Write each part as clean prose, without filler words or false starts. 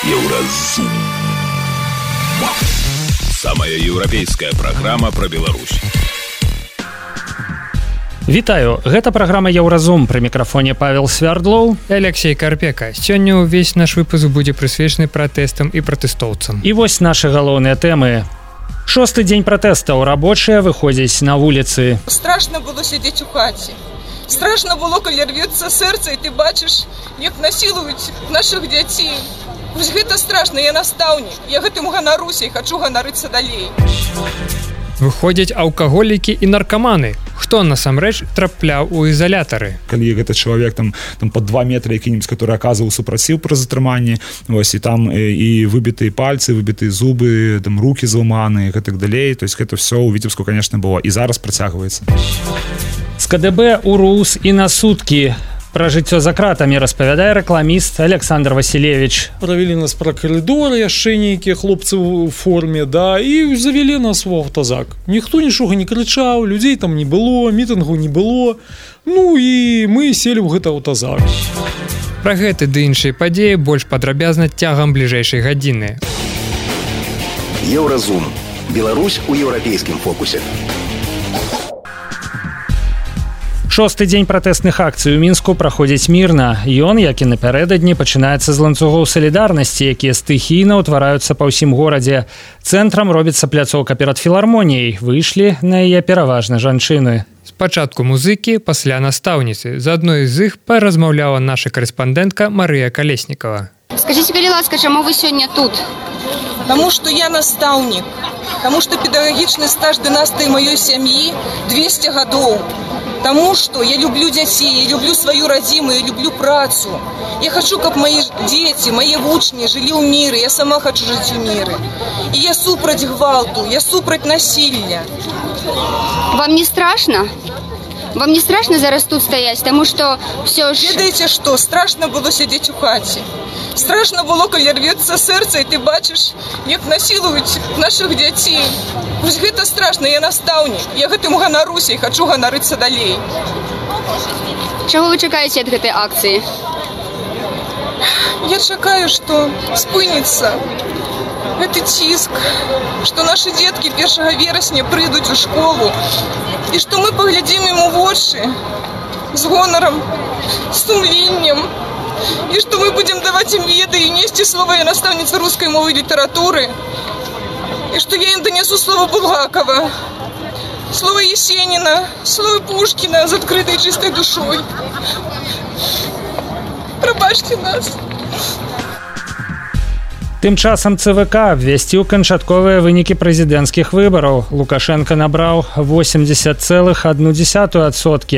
Еўразум. Самая еўрапейская праграма пра Беларусь. Вітаю, гэта праграма Еўразум, пры мікрафоне Павел Свярдлоў і Алексей Карпека. Сёння ўвесь наш выпуск будзе прысвечаны пратэстам і пратэстоўцам. І вось нашы галоўныя тэмы. 6-й дзень пратэстаў, рабочыя выходзяць на вуліцы. Страшна было сядзець у хаце. Страшна было, калі рвецца сэрца, і ты бачыш, як насілуюць нашых дзяцей. Вось гэта страшна, я настаўнік. Я гэтым ганаруся і хачу ганарыцца далей. Выходзяць алкаголікі і наркаманы. Хто насамрэч трапляў у ізалятары? Калі гэты чалавек там под 2 метры які-нибудь, который аказваў супраціў пры затрыманні, вось і там і выбітыя пальцы, выбітыя зубы, там рукі зламаныя і так далей. То есть гэта все у Віцебску, конечно, было і зараз працягваецца. З КДБ у РУС і на суткі. Пра жыццё за кратамі распавядае рэкламіст Александр Васильевич. Правялі нас пра калідоры, яшчэ нейкія хлопцы ў форме, да, і завялі нас у аўтазак. Ніхто нічога не крычаў, людзей там не было, мітынгу не было. Ну і мы селі ў гэты аўтазак. Пра гэты ды іншыя падзеі больш падрабязна цягам бліжэйшай гадзіны. Еўразум. Беларусь у еўрапейскім фокусе. 6-й дзень пратэсных акцый у Мінску праходзіць мірна. Ён, як і напярэдадні, пачынаецца з ланцугоў салідарнасці, якія стыхійна ўтвараюцца па ўсім горадзе. Цэнтрам робіцца пляцоўка перад філармоніяй. Выйшлі на яе пераважна жанчыны. Спачатку музыкі, пасля настаўніцы. З адной з іх паразмаўляла наша карэспандэнтка Марыя Калеснікава. Скажите, калі ласка, чаму вы сёння тут? Таму што я настаўнік. Таму што педагагічны стаж дынастыі маёй сям'і 200 гадоў. Таму што я люблю дзяцей, я люблю сваю радзіму, я люблю працу. Я хачу, каб мои дзеці, мае вучні жылі ў міры, я сама хачу жыць у міры. І я супраць гвалту, я супраць насілля. Вам не страшно? Вам не страшно зараз тут стаяць, таму што ўсё ж... Ведаеце што, страшна было сядзець у хаце. Страшна было, калі рвецца сэрца, і ты бачыш, як насілуюць нашых дзяцей. Вось гэта страшна, я настаўнік. Я гэтым ганаруся і хачу ганарыцца далей. Чаго вы чакаеце ад гэтай акцыі? Я чакаю, што спыніцца гэты ціск, што нашы дзеткі 1 верасня прыйдуць у школу, і што мы паглядзім ім у вочы з гонарам, з сумленнем, і што мы будзем даваць ім веды і несці слова я настаўніца рускай мовы і літаратуры, і што я ім данесу слова Булгакова, слова Есеніна, слова Пушкіна з адкрытай чыстай душой. Прабачце нас. Тым часам ЦВК абвясціў канчатковыя вынікі прэзідэнцкіх выбараў. Лукашенко набраў 80,1%, а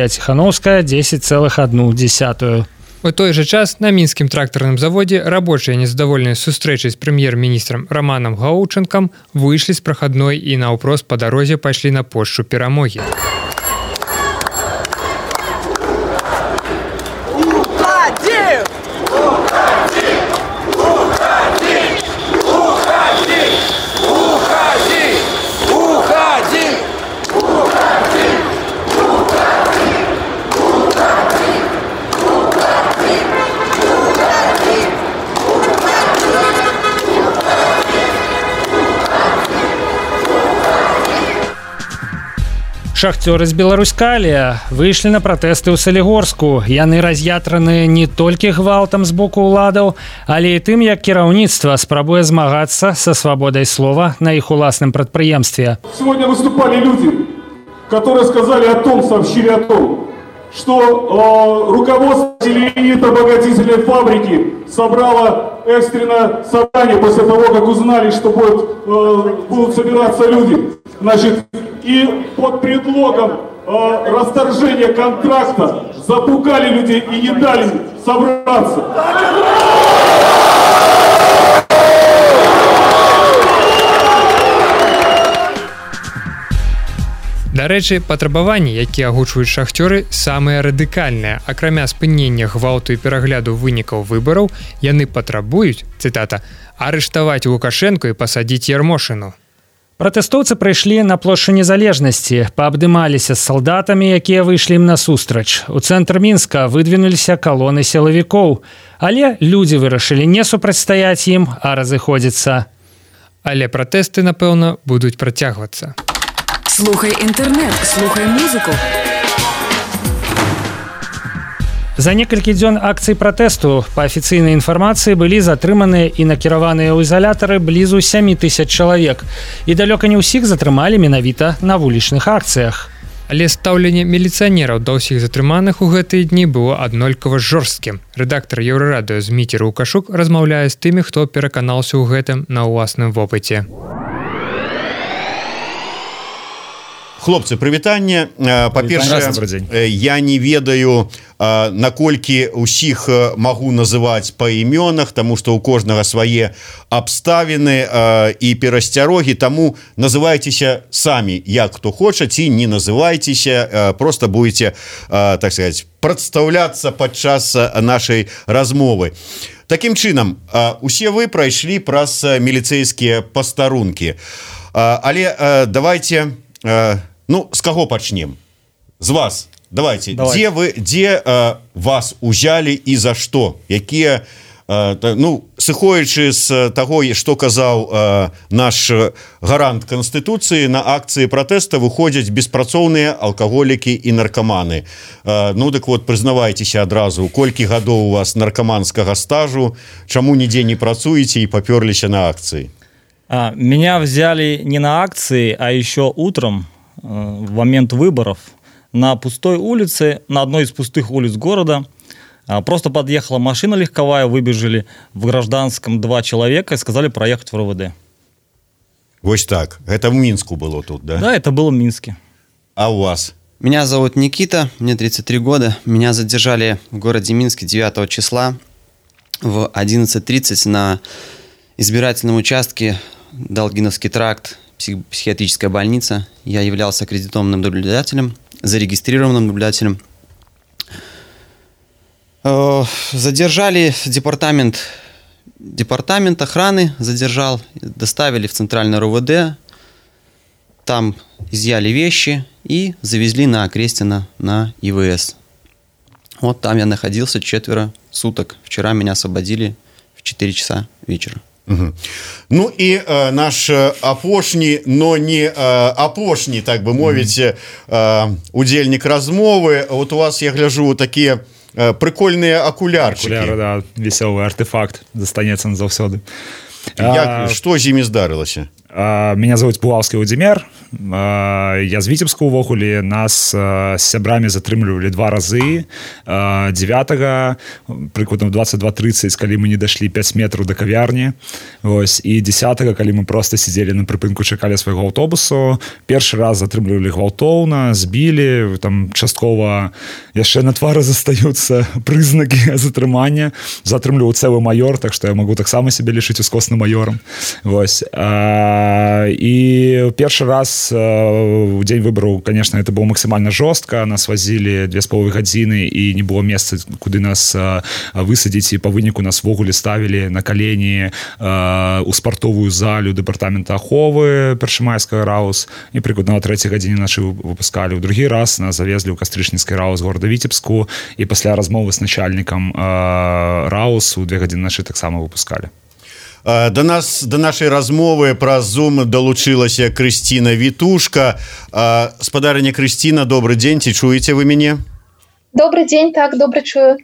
Ціхановская 10,1%. У той жа час на мінскім трактарным заводзе рабочыя, незадаволеныя сустрэчай з прэм'ер-міністрам Романом Гаученкам, выйшлі з прахадной і наўпрост па дарозе пайшлі на плошчу Перамогі. Шахцёры з Беларуськалія выйшлі на пратэсты ў Салігорску. Яны раз'ятраныя не толькі гвалтам з боку ўладаў, але і тым, як кіраўніцтва спрабуе змагацца са свабодай слова на іх уласным прадпрыемстве. Сегодня выступали люди, которые сказали сообщили о том, что руководство зеленито-обогатительной фабрики собрало экстренное собрание после того, как узнали, что будут собираться люди. Значит, и под предлогом расторжения контракта запугали людей и не дали собраться. Дарэчы, патрабаванні, якія агучваюць шахцёры, самыя радыкальныя. Акрамя спынення гвалту і перагляду вынікаў выбараў, яны патрабуюць, цытата, арыштаваць Лукашенко і пасадзіць Ярмошыну. Пратэстоўцы прыйшлі на плошчу Незалежнасці, паабдымаліся з салдатамі, якія выйшлі ім насустрач. У цэнтр Мінска выдвинуліся калоны сілавікоў, але людзі вырашылі не супрацьстаяць ім, а разыходзіцца. Але пратэсты, напэўна, будуць працягвацца. Слухай інтэрнэт, слухай музыку. За некалькі дзён акцый пратэсту па афіцыйнай інфармацыі былі затрыманыя і накіраваныя ў ізалятары блізу 7000 чалавек. І далёка не ўсіх затрымалі менавіта на вулічных акцыях. Але стаўленне міліцыянераў да ўсіх затрыманых у гэтыя дні было аднолькава жорсткім. Рэдактар Еўрарадыё Зміцер Лукашук размаўляе з тымі, хто пераканаўся ў гэтым на ўласным вопыце. Хлопцы, прывітанне. Па-першае, я не ведаю, наколькі ўсіх магу называць па імёнах, таму што ў кожнага свае абставіны і перасцярогі, таму называйцеся самі, як хто хоча, ці не называйцеся, просто будете, так сказать, прадстаўляцца падчас нашай размовы. Такім чынам, усе вы прайшлі праз міліцэйскія пастарункі. Але давайте... Ну, з каго пачнем? З вас. Давайте. Дзе вас узялі і за што? Якія, ну, сыходзячы з таго, што казаў наш гарант Канстытуцыі, на акцыі пратэста выходзяць беспрацоўныя алкаголікі і наркаманы. Ну, дык вот, прызнавайцеся адразу, колькі гадоў у вас наркаманскага стажу, чаму нідзе не працуеце і папёрліся на акцыі? Меня взяли не на акции, а еще утром, в момент выборов, на пустой улице, на одной из пустых улиц города. Просто подъехала машина легковая, выбежали в гражданском 2 человека и сказали проехать в РОВД. Вот так. Это в Минску было тут, да? Да, это было в Минске. А у вас? Меня зовут Никита, мне 33 года. Меня задержали в городе Минске 9 числа в 11:30 на избирательном участке Долгиновский тракт, психиатрическая больница. Я являлся аккредитованным наблюдателем, зарегистрированным наблюдателем. Задержали департамент охраны, задержал, доставили в центральное РОВД, там изъяли вещи и завезли на Окрестино на ИВС. Вот там я находился 4 суток. Вчера меня освободили в 4 часа вечера. Угу. Ну і наш апошні, но не апошні, так бы мовіць, удзельнік размовы. Вот у вас, я гляжу, такія прикольныя акулярчыкі. Акуляры, да, весёлы артефакт застанецца назаўсёды. Што з імі здарылася? Меня зовут Пулаўскі Владзімир. Я з Віцебска ўвогуле. Нас з сябрамі затрымлівалі 2 разы. 9-го, прыкладна 22:30, калі мы не дашлі 5 метраў да кавярні. Ось. І 10-го, калі мы просто сидзелі на прыпынку, чакалі свайго аўтобусу. Першы раз затрымлівалі гвалтоўна, збілі, там часткова яшчэ на твары застаюцца прызнакі затрымання. Затрымліваў цэлы майор, так што я магу таксама сябе лічыць ускосным майорам. Ось. І першы раз у дзень выбараў, конечно, это было максімальна жорстка. Нас вазілі 2,5 гадзіны і не было месца, куды нас высадзіць, і па выніку нас вогуле ставілі на калені у спартовую залю дэпартамента аховы Першамайскага РАУС, і прыкладна на 3-й гадзіне нашы выпускалі. У другі раз нас завезлі ў Кастрычніцкі РАУС города Віцебску, і пасля размовы з начальнікам РАУС у 2 гадзіны нашы таксама выпускалі. Да нашай размовы праз Zoom далучылася Крысціна Вітушка. Спадарыня Крысціна, добрый дзень, ці чуеце вы мяне? Добрый дзень, так, добра чую.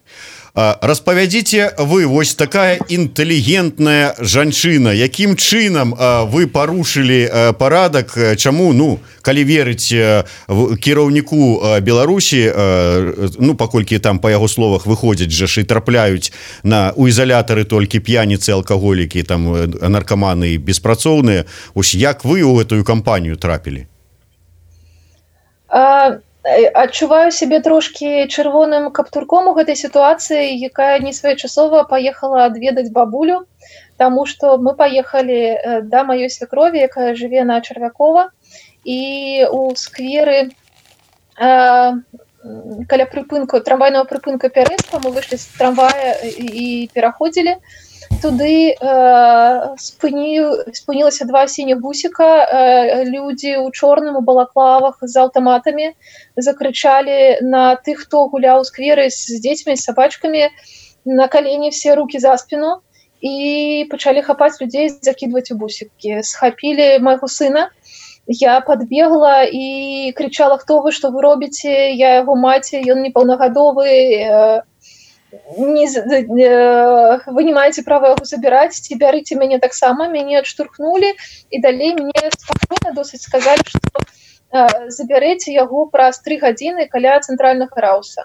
Распавядзіце вы, вось такая інтэлігентная жанчына, якім чынам вы парушылі парадак, чаму, ну, калі верыць кіраўніку Беларусі, ну, паколькі там па яго словах выходзяць жа і трапляюць у ізалятары толькі п'яніцы, алкаголікі, там наркаманы і беспрацоўныя, ось як вы ў гэтую кампанію трапілі? Адчуваю сябе трошкі чырвоным каптурком у гэтай сітуацыі, якая несвоечасова паехала адведаць бабулю, таму што мы паехалі да маёй свякрові, якая жыве на Чарвякова, і у скверы каля прыпынку, трамвайнага прыпынка Пярэцка мы выйшлі з трамвая і пераходзілі. туды спынілася два сініх бусіка, людзі ў чорным у балаклавах з аўтаматамі закрычалі на тых, хто гуляў у скверы з дзецьмі, з сабачкамі, на калені все рукі за спіну і пачалі хапаць людзей, закідваць у бусікі. Схапілі майго сына, я подбегла і кричала: «Хто вы, што вы робіце? Я яго маці, ён непаўнагадовы, вы не маеце права яго забіраць, ці бярыце мяне таксама». Мяне адштурхнулі і далей мне спакойна досыць сказалі, што забярэце яго праз 3 гадзіны каля цэнтральнага рауса.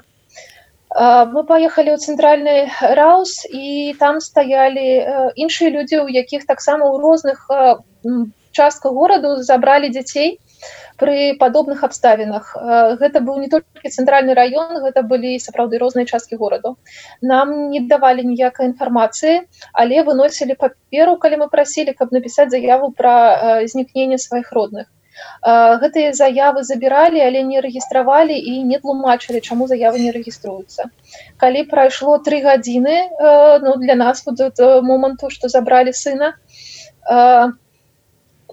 Мы паехалі ў цэнтральны раус, і там стаялі іншыя людзі, у якіх таксама ў розных частках гораду забралі дзяцей пры падобных абставінах. Гэта быў не толькі цэнтральны раён, гэта былі сапраўды розныя часткі гораду. Нам не давалі ніякай інфармацыі, але выносілі паперу, калі мы прасілі, каб напісаць заяву пра знікненне сваіх родных. Гэтыя заявы забіралі, але не рэгістравалі і не тлумачылі, чаму заявы не рэгіструюцца. Калі прайшло 3 гадзіны, для нас да моманту, што забралі сына,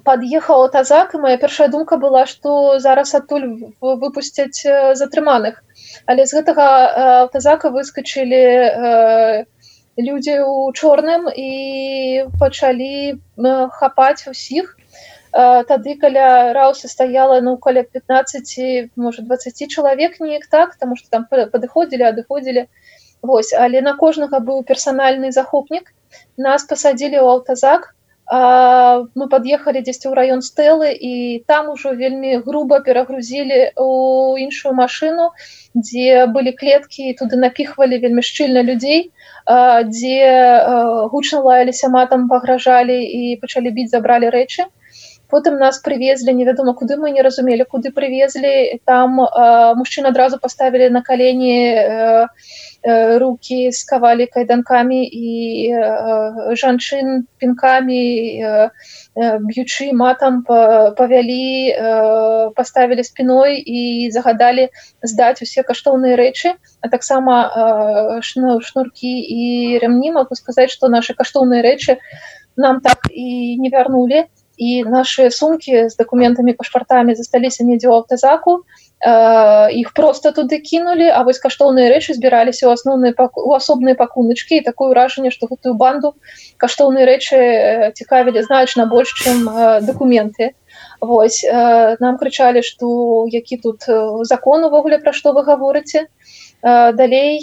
пад'ехаў аўтазак, і моя першая думка была, што зараз адтуль выпусцяць затрыманых. Але з гэтага аўтазака выскачылі людзі ў чорным і пачалі хапаць усіх. Тады каля рауса стаяла каля 15, можа 20 чалавек, неяк так, таму што там падыходзілі, адыходзілі. Але на кожнага быў персанальны захопнік. Нас пасадзілі ў аўтазак. Мы пад'ехалі дзесьці ў раён Стэлы, і там ужо вельмі груба перагрузілі ў іншую машыну, дзе былі клеткі, і туды напіхвалі вельмі шчыльна людзей, дзе гучна лаяліся матам, пагражалі і пачалі біць, забралі рэчы. Потым нас прывезлі, невядома куды, мы не разумелі, куды прывезлі. Там мужчын адразу паставілі на калені, рукі скавалі кайданкамі, і жанчын пінкамі, б'ючы матам, павялі, паставілі спіной і загадалі здаць усе каштоўныя рэчы, а таксама шнуркі і рямні. Магу сказаць, што нашы каштоўныя рэчы нам так і не вярнулі. І нашы сумкі з дакументамі, пашпартамі засталіся недзе ў аўтазаку, іх проста туды кінулі, а вось каштоўныя рэчы збіраліся ў асобныя пакуначкі, і такое ўражанне, што гэтую банду каштоўныя рэчы цікавілі значна больш, чым дакументы. Нам крычалі, што які тут закон увогуле, пра што вы гаворыце. Далей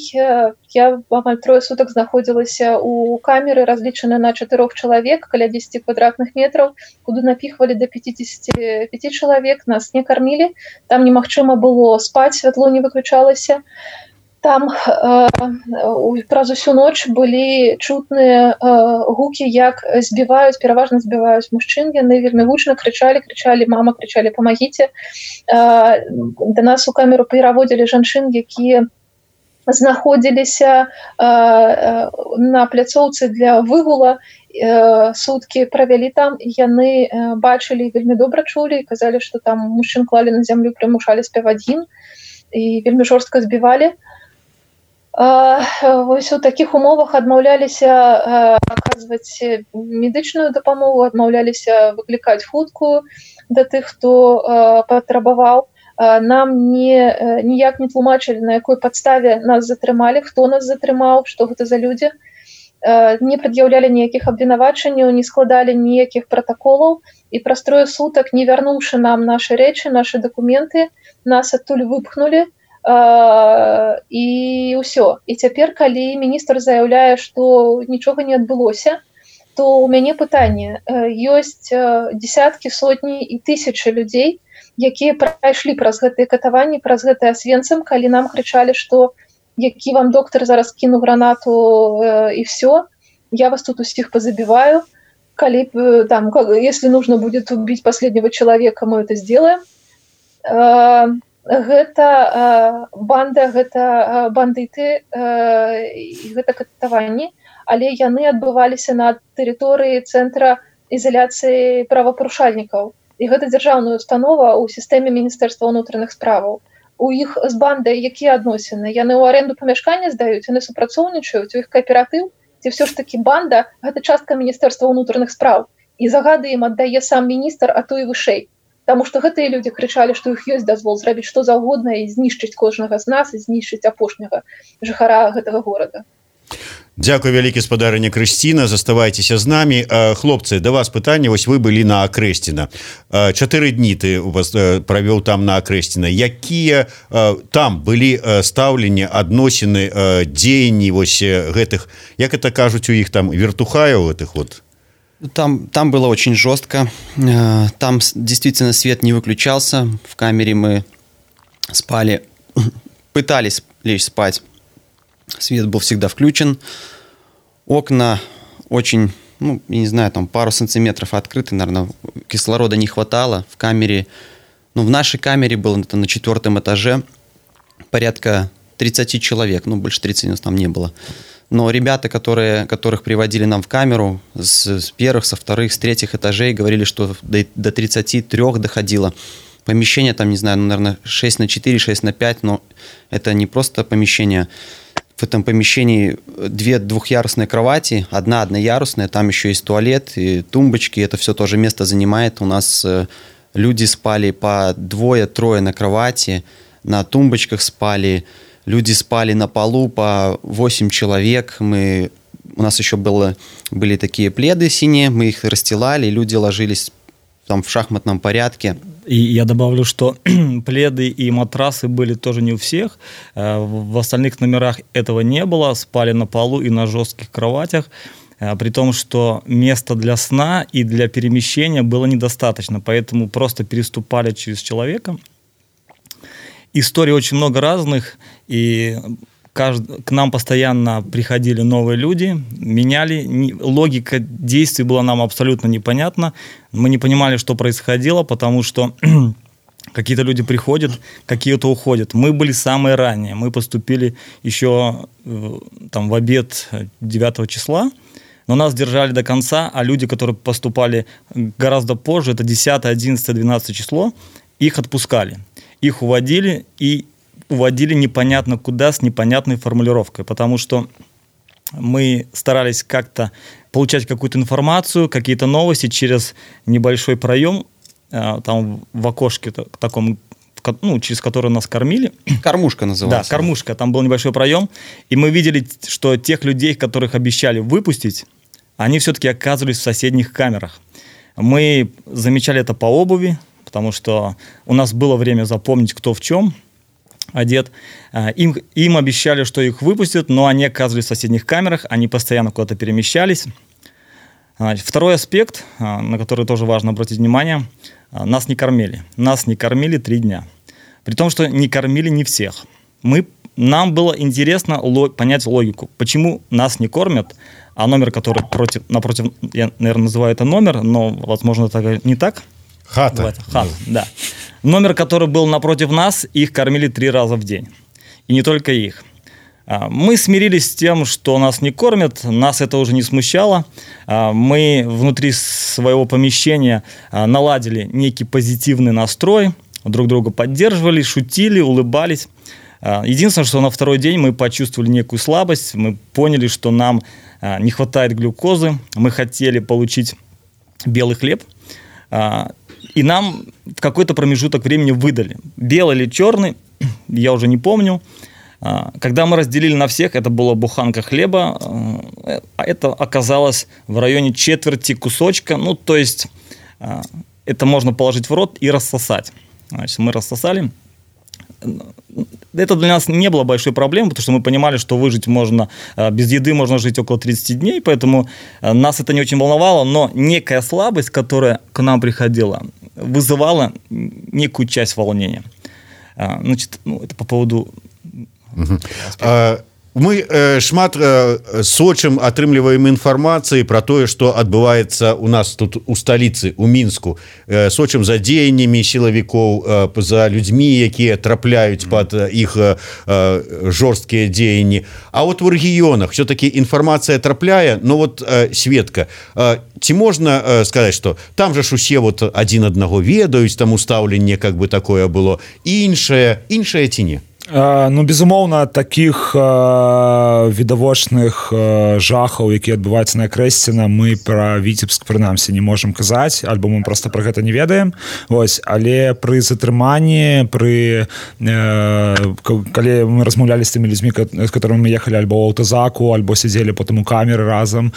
я амаль 3 сутак знаходзілася ў камеры, разлічаны на 4 чалавек, каля 10 квадратных метраў, куды напіхвалі да 55 чалавек, нас не кармілі, там немагчыма было спаць, святло не выключалася. Там праз усю ноч былі чутныя гукі, як збіваюць, пераважна збіваюць мужчын. Яны вельмі гучна крычалі, мама, крычалі, памагіце. Да нас у камеру пераводзілі жанчын, якія знаходзіліся на пляцоўцы для выгула, суткі правялі там, і яны бачылі, вельмі добра чулі, і казалі, што там мужчын клалі на зямлю, прымушалі спяваць гімн і вельмі жорстка збівалі. У такіх умовах адмаўляліся аказваць медычную дапамогу, адмаўляліся выклікаць хуткую да тых, хто патрабаваў. Нам ніяк не тлумачылі, на якой падставе нас затрымалі, хто нас затрымаў, што гэта за людзі. Не прад'яўлялі ніякіх абвінавачанняў, не складалі ніякіх пратаколаў, і праз 3 сутак, не вярнуўшы нам нашы рэчы, нашы дакументы, нас адтуль выпхнулі, і ўсё. І цяпер, калі міністр заяўляе, што нічога не адбылося, то ў мяне пытанне. Ёсць дзесяткі, сотні і тысячы людзей, якія прайшлі праз гэтыя катаванні, праз гэты Освенцим, калі нам крычалі, што які вам доктор, зараз кіну гранату і все, я вас тут усіх позабиваю, калі там, если нужно будет убить последнего человека, мы это сделаем. Гэта банда, гэта бандыты, гэта катаванні, але яны адбываліся на тэрыторыі цэнтра ізаляцыі правапарушальнікаў. І гэта дзяржаўная установа ў сістэме Міністэрства ўнутраных справаў. У іх з бандай якія адносіны? Яны ў аренду памяшкання здаюць, яны супрацоўнічаюць, у іх кааператыў, ці ўсё ж такі банда гэта частка міністэрства ўнутраных спраў і загады ім аддае сам міністр, а то і вышэй. Таму што гэтыя людзі крычалі, што іх ёсць дазвол зрабіць што заўгодна і знішчыць кожнага з нас і знішчыць апошняга жыхара гэтага горада. Дзякуй вялікі, спадарыня Крысціна, заставайцеся з намі. Хлопцы, да вас пытанне, вось вы былі на Акрэсціна. 4 дні ты правёў там на Акрэсціна. Якія там былі стаўленні, адносіны, дзеянні вось гэтых, як это кажуць у іх там, вертухаяў гэтых вот? Там было очень жестко. Там действительно свет не выключался. В камере мы спали, пытались лечь спать. Свет был всегда включен. Окна очень, я не знаю, там пару сантиметров открыты, наверное, кислорода не хватало. В камере, в нашей камере было это на 4-м этаже порядка 30 человек, больше 30 у нас там не было. Но ребята, которых приводили нам в камеру с первых, со вторых, с третьих этажей, говорили, что до 33 доходило. Помещение там, не знаю, наверное, 6x4, 6x5, но это не просто помещение. В этом помещении 2 двухъярусные кровати, одна одноярусная, там еще есть туалет и тумбочки, это все тоже место занимает. У нас люди спали по 2-3 на кровати, на тумбочках спали. Люди спали на полу по 8 человек. У нас еще были такие пледы синие, мы их расстилали, люди ложились там в шахматном порядке. И я добавлю, что пледы и матрасы были тоже не у всех. В остальных номерах этого не было. Спали на полу и на жестких кроватях. При том, что места для сна и для перемещения было недостаточно. Поэтому просто переступали через человека. Историй очень много разных, и к нам постоянно приходили новые люди, меняли. Логика действий была нам абсолютно непонятна. Мы не понимали, что происходило, потому что какие-то люди приходят, какие-то уходят. Мы были самые ранние. Мы поступили еще там, в обед 9 числа, но нас держали до конца, а люди, которые поступали гораздо позже, это 10, 11, 12 число, их отпускали. Их уводили и уводили непонятно куда с непонятной формулировкой, потому что мы старались как-то получать какую-то информацию, какие-то новости через небольшой проем, там в окошке таком, через который нас кормили. Кормушка называлась. Да, кормушка, там был небольшой проем, и мы видели, что тех людей, которых обещали выпустить, они все-таки оказывались в соседних камерах. Мы замечали это по обуви, потому что у нас было время запомнить, кто в чем одет. Им обещали, что их выпустят, но они оказывались в соседних камерах, они постоянно куда-то перемещались. Второй аспект, на который тоже важно обратить внимание, нас не кормили. Нас не кормили 3 дня. При том, что не кормили не всех. Нам было интересно понять логику, почему нас не кормят, а номер, который напротив, я, наверное, называю это номер, но, возможно, это не так. Хата. Да. Номер, который был напротив нас, их кормили 3 раза в день. И не только их. Мы смирились с тем, что нас не кормят, нас это уже не смущало. Мы внутри своего помещения наладили некий позитивный настрой, друг друга поддерживали, шутили, улыбались. Единственное, что на 2-й день мы почувствовали некую слабость, мы поняли, что нам не хватает глюкозы, мы хотели получить белый хлеб, и нам в какой-то промежуток времени выдали. Белый или черный, я уже не помню. Когда мы разделили на всех, это была буханка хлеба, а это оказалось в районе 1/4 кусочка, то есть это можно положить в рот и рассосать. Значит, мы рассосали. Это для нас не было большой проблемой, потому что мы понимали, что выжить можно, без еды можно жить около 30 дней, поэтому нас это не очень волновало, но некая слабость, которая к нам приходила, вызывала некую часть волнения. Значит, это по поводу... Мы шмат сочым атрымліваем інфармацыі пра тое, што адбываецца у нас тут у сталіцы, у Мінску. Сочым за дзеяннямі сілавікоў, за людзьмі, якія трапляюць пад іх жорсткія дзеянні. А вот у рэгіёнах все-таки інфармацыя трапляе, но вот Светка, ці можна сказаць, што там же ж усе адзін аднаго ведаюць, там устаўленне как бы такое было, іншае ці не? Ну, безумоўна, такіх відавочных жахаў, якія адбываюцца на Крэсціна, мы пра Віцебск, прынамсі, не можам казаць, альбо мы проста пра гэта не ведаем. Вось, але пры затрыманні, калі мы размаўлялі з тымі людзьмі, з которымі мы ехалі альбо ў аўтазаку, альбо сядзелі потым у камеры разам,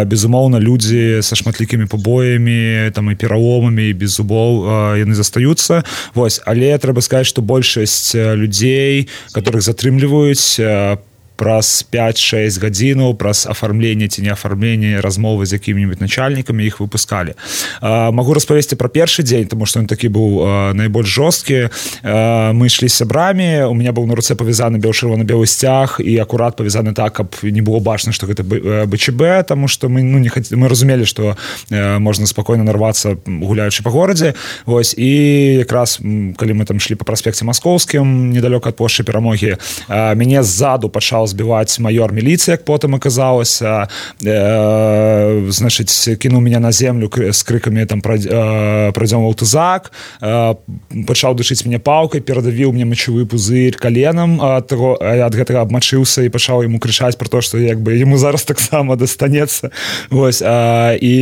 безумоўна, людзі са шматлікімі пабоямі, там і пераломамі, і без зубоў, яны застаюцца. Вось, але трэба сказаць, што большасць людзей, которых затрымліваюць праз 5-6 гадзінаў, праз афармленне ці не афармленне размовы з якімі-нибудь начальнікамі іх выпускалі. Магу распавесці пра першы дзень, тому што ён такі быў найбольш жорсткі. Мы ішлі з сябрамі, у меня быў на руцэ павязаны чырвона-белы сцяг і акурат павязаны так, каб не было бачна, што гэта БЧБ, таму што мы разумелі, што можна спакойна нарвацца, гуляючы па горадзе. Вось, і якраз калі мы там шлі па праспекце Маскоўскім, недалёка ад плошчы Перамогі, мяне ззаду пачаў збіваць маёр міліцыі, як потым аказалася, значыць, кінуў мяне на землю з крыкамі там пройдём в аўтазак, пачаў душыць мяне палкай, перадавіў мне мачавы пузырь каленам, ад гэтага абмачыўся і пачаў яму крычаць про то, што як бы яму зараз таксама дастанецца. Вось, і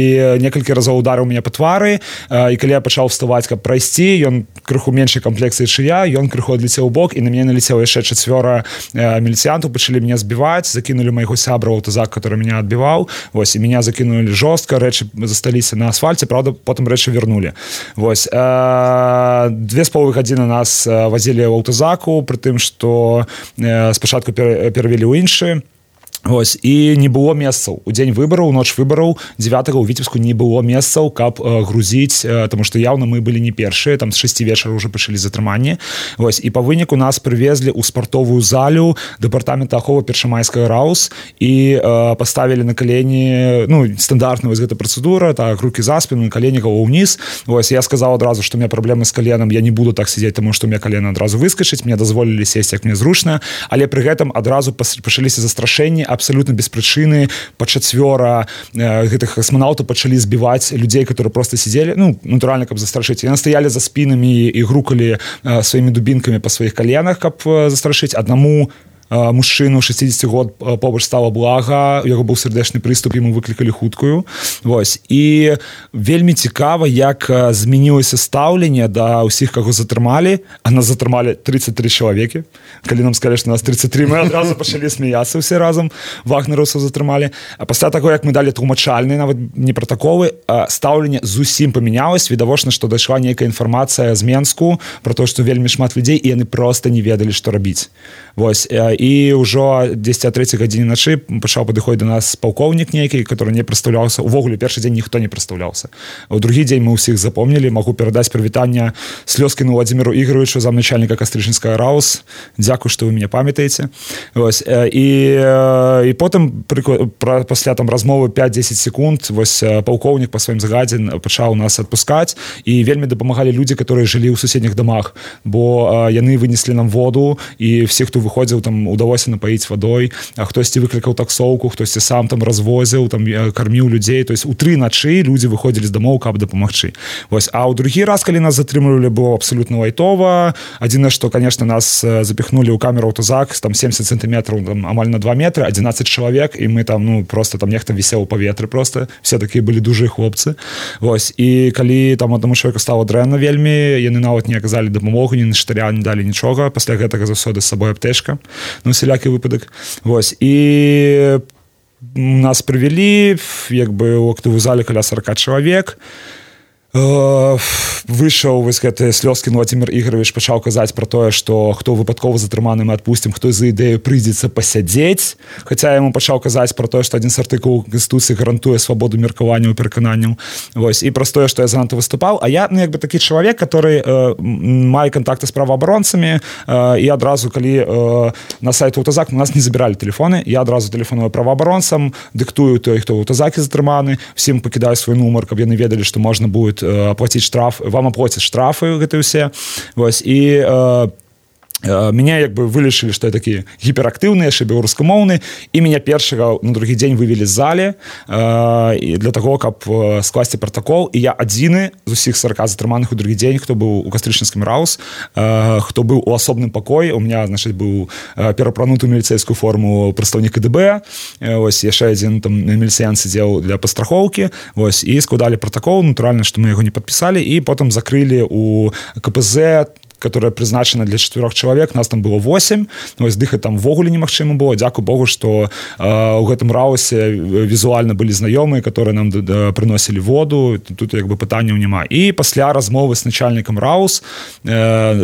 некалькі разоў ударыў мяне па твары, і калі я пачаў вставаць, каб прайсці, ён крыху меншай комплекцыі, чым я, ён крыху адлецеў у бок, і на мяне налецела яшчэ 4 міліцыянтаў, пачалі меня збіваць, закінулі майго сябра ў аўтазак, который меня адбіваў. Вось, і меня закінулі жорстка, рэчы засталіся на асфальце, правда, потым рэчы вярнулі. Вось, 2,5 гадзіны нас вазілі ў аўтазаку, пры тым, што спачатку перавялі ў іншы. Вось, і не было месцаў. У дзень выбараў, у ноч выбараў 9-го ў Віцебску не было месцаў, каб грузіць, таму што яўна мы былі не першыя, там з 6 вечара ўжо пачалі затрыманне. Вось, і па выніку нас прывезлі ў спартовую залю дэпартамента аховы першамайскага РАУС і паставілі на калені, ну, стандартная вось гэта працэдура, так, рукі за спіну, калені галаву ўніз. Вось, я сказаў адразу, што у меня праблемы з каленам, я не буду так сидзець, таму што у меня калена адразу выскачыць, мне дазволілі сесці, як мне зручна, але пры гэтым адразу пачаліся застрашэнні абсолютно без прычыны, па 4 гэтых касманаўтаў пачалі збіваць людзей, которые просто сидели, ну, натуральна, каб застрашыць. Яны стаялі за спінамі і грукалі сваімі дубінкамі па сваіх каленах, каб застрашыць. Аднаму мужчыну 60 год побач стала блага, у яго быў сардэчны прыступ, яму выклікалі хуткую. Вось, і вельмі цікава, як змянілася стаўленне да ўсіх, каго затрымалі, а нас затрымалі 33 чалавекі. Калі нам сказалі, што нас 33, мы адразу пачалі смяяцца ўсе разам, вагнераўцаў затрымалі. А пасля таго, як мы далі тлумачальныя, нават не пратаколы, стаўленне зусім памянялось. Відавочна, што дайшла нейкая інфармацыя з Менску пра то, што вельмі шмат людзей, і яны проста не ведалі, што рабіць. Вось, і ўжо 10-3 гадзіне начы пачаў падыходзіць да нас палкоўнік нейкі, который не прадстаўляўся. Увогуле, першы дзень ніхто не прадстаўляўся. У другі дзень мы ўсіх запомнілі. Магу перадаць прывітанне Слёзкіну Владзіміру Ігоровичу, замначальніка Кастрычніцкага РАУС. Дзякуй, што вы мяне памятаеце. Вось, і потым пасля там размовы 5-10 секунд вось палкоўнік па сваім загадзе пачаў нас адпускаць, і вельмі дапамагалі людзі, которые жылі ў суседніх дамах, бо яны вынеслі нам воду, і всіх, хто выходзіў, там удалося напаіць вадой, а хтосьці выклікаў таксоўку, хтосьці сам там развозіў, там карміў людзей. То есть у 3 начы людзі выходзілі з дамоў, каб дапамагчы. Вось, а ў другі раз, калі нас затрымлівалі, было абсолютно лайтова. Адзінае, што, конечно, нас запихнули ў камеру аўтазак, там 70 сантиметров, там амаль на 2 метры, 11 чалавек, і мы там, ну, просто там нехта вісеў у паветры просто. Все такія былі дужыя хлопцы. Вось, і калі там аднаму чалавеку стала дрэнна вельмі, яны нават не аказалі дапамогу, ні на штыря, не далі нічога. Пасля гэтага заўсёды з сабой аптечка, ну, усялякі выпадак. Вось, і нас прывялі, як бы у актовую зале каля 40 чалавек. Выйшаў вось гэты Слёзкін Владзімір Ігорович, пачаў казаць пра тое, што хто выпадкова затрыманы, мы адпусцім, хто за ідэю прыйдзецца пасядзець. Хаця яму пачаў казаць пра тое, што адзін з артыкулаў Канстытуцыі гарантуе свабоду меркавання і перакананняў. Вось, і праз тое, што я занадта выступаў. А я, ну, як бы такі чалавек, который мае кантакты з праваабаронцамі, і адразу, калі на сайт аўтазак, у нас не забіралі тэлефоны, я адразу тэлефоную праваабаронцам, дыктую той, хто ў аўтазакі затрыманы, всім пакідаю свой нумар, каб яны ведалі, што можна будет оплатить штраф, вам оплатят штрафы гэтыя ўсе. Вось, і Меня як бы вылечылі, што я такі гіперактыўны, яшчэ беларускамоўны, і мяне першага на другі дзень вывелі з зале для таго, каб скласці пратакол, і я адзіны з усіх 40 затрыманых у другі дзень, хто быў у кастрычніцкім РАУС, хто быў у асобным пакоі. У меня, значит, быў перапрануты ў міліцэйскую форму прадстаўнік КДБ, ось яшчэ адзін там міліцыян сидзеў для пастрахоўкі, ось, і складалі пратакол, натуральна, што мы яго не падпісалі, і потым закрылі у КПЗ, которая призначена для 4 человек, нас там было 8, вось дыхаць там ввогуле немагчыма было. Дзякуй Богу, што у гэтым раусе візуальна былі знаёмыя, которые нам прыносілі воду, тут як бы пытанняў няма. І пасля размовы з начальнікам РАУС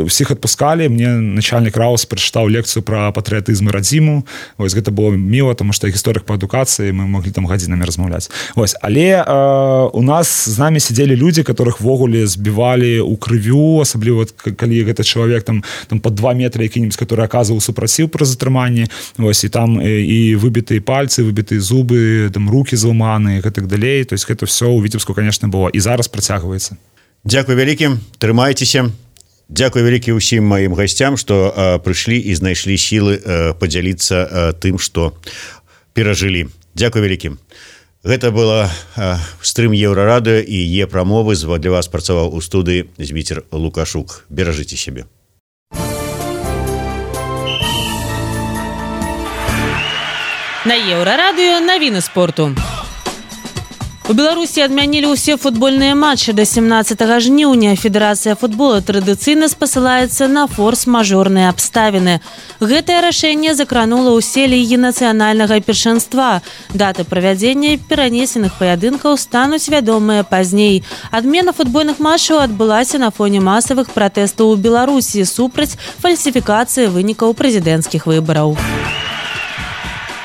усіх адпускалі, мне начальнік РАУС прачытаў лекцыю пра патрыятызм і радзіму. Вось гэта было міла, таму што гісторыях па адукацыі мы маглі там гадзінамі размаўляць. Вось, але у нас з намі сидзелі людзі, которых ввогуле збівалі ў крывю, асабліва калі гэта чалавек там под 2 метра які-нибудь, который аказваў супраціў пры затрыманні, вось, і там і выбітыя пальцы, выбітыя зубы, там рукі зламаныя і так далей. То есть гэта все у Віцебску, конечно, было і зараз працягваецца. Дзякуй вялікі, трымайцеся. Дзякуй вялікі ўсім маім гасцям, што прыйшлі і знайшлі сілы падзяліцца тым, што перажылі. Дзякуй вялікі. Гэта была стрым Еўрарадыё і Е-прамовы. Для вас працаваў у студыі Зміцер Лукашук. Беражыце сябе. На Еўрарадыё навіны спорту. У Беларусі адмянілі ўсе футбольныя матчы да 17 жніўня. Федэрацыя футбола традыцыйна спасылаецца на форс-мажорныя абставіны. Гэтае рашэнне закранула ўсе лігі нацыянальнага першынства. Даты правядзення перанесеных паядынкаў стануць вядомыя пазней. Адмена футбольных матчаў адбылася на фоне масавых пратэстаў у Беларусі супраць фальсіфікацыі вынікаў прэзідэнцкіх выбараў.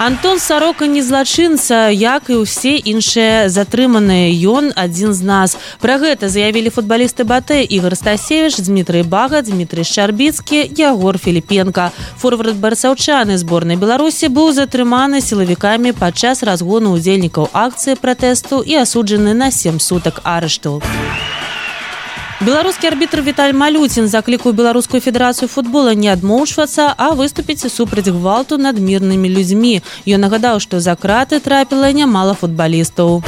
Антон Сарока не злачынца, як і ўсе іншыя затрыманыя. Ён адзін з нас. Пра гэта заявілі футбалісты БАТЭ Ігор Стасевіч, Дмітрый Бага, Дмітрый Шчарбіцкі, Ягор Філіпенка. Форвард барысаўчаны зборнай Беларусі быў затрыманы сілавікамі падчас разгону ўдзельнікаў акцыі пратэсту і асуджаны на 7 сутак арышту. Беларускі арбітр Віталь Малюцін заклікаў Беларускую федэрацыю футбола не адмоўчвацца, а выступіць супраць гвалту над мірнымі людзьмі. Ён нагадаў, што за краты трапіла нямала футбалістаў.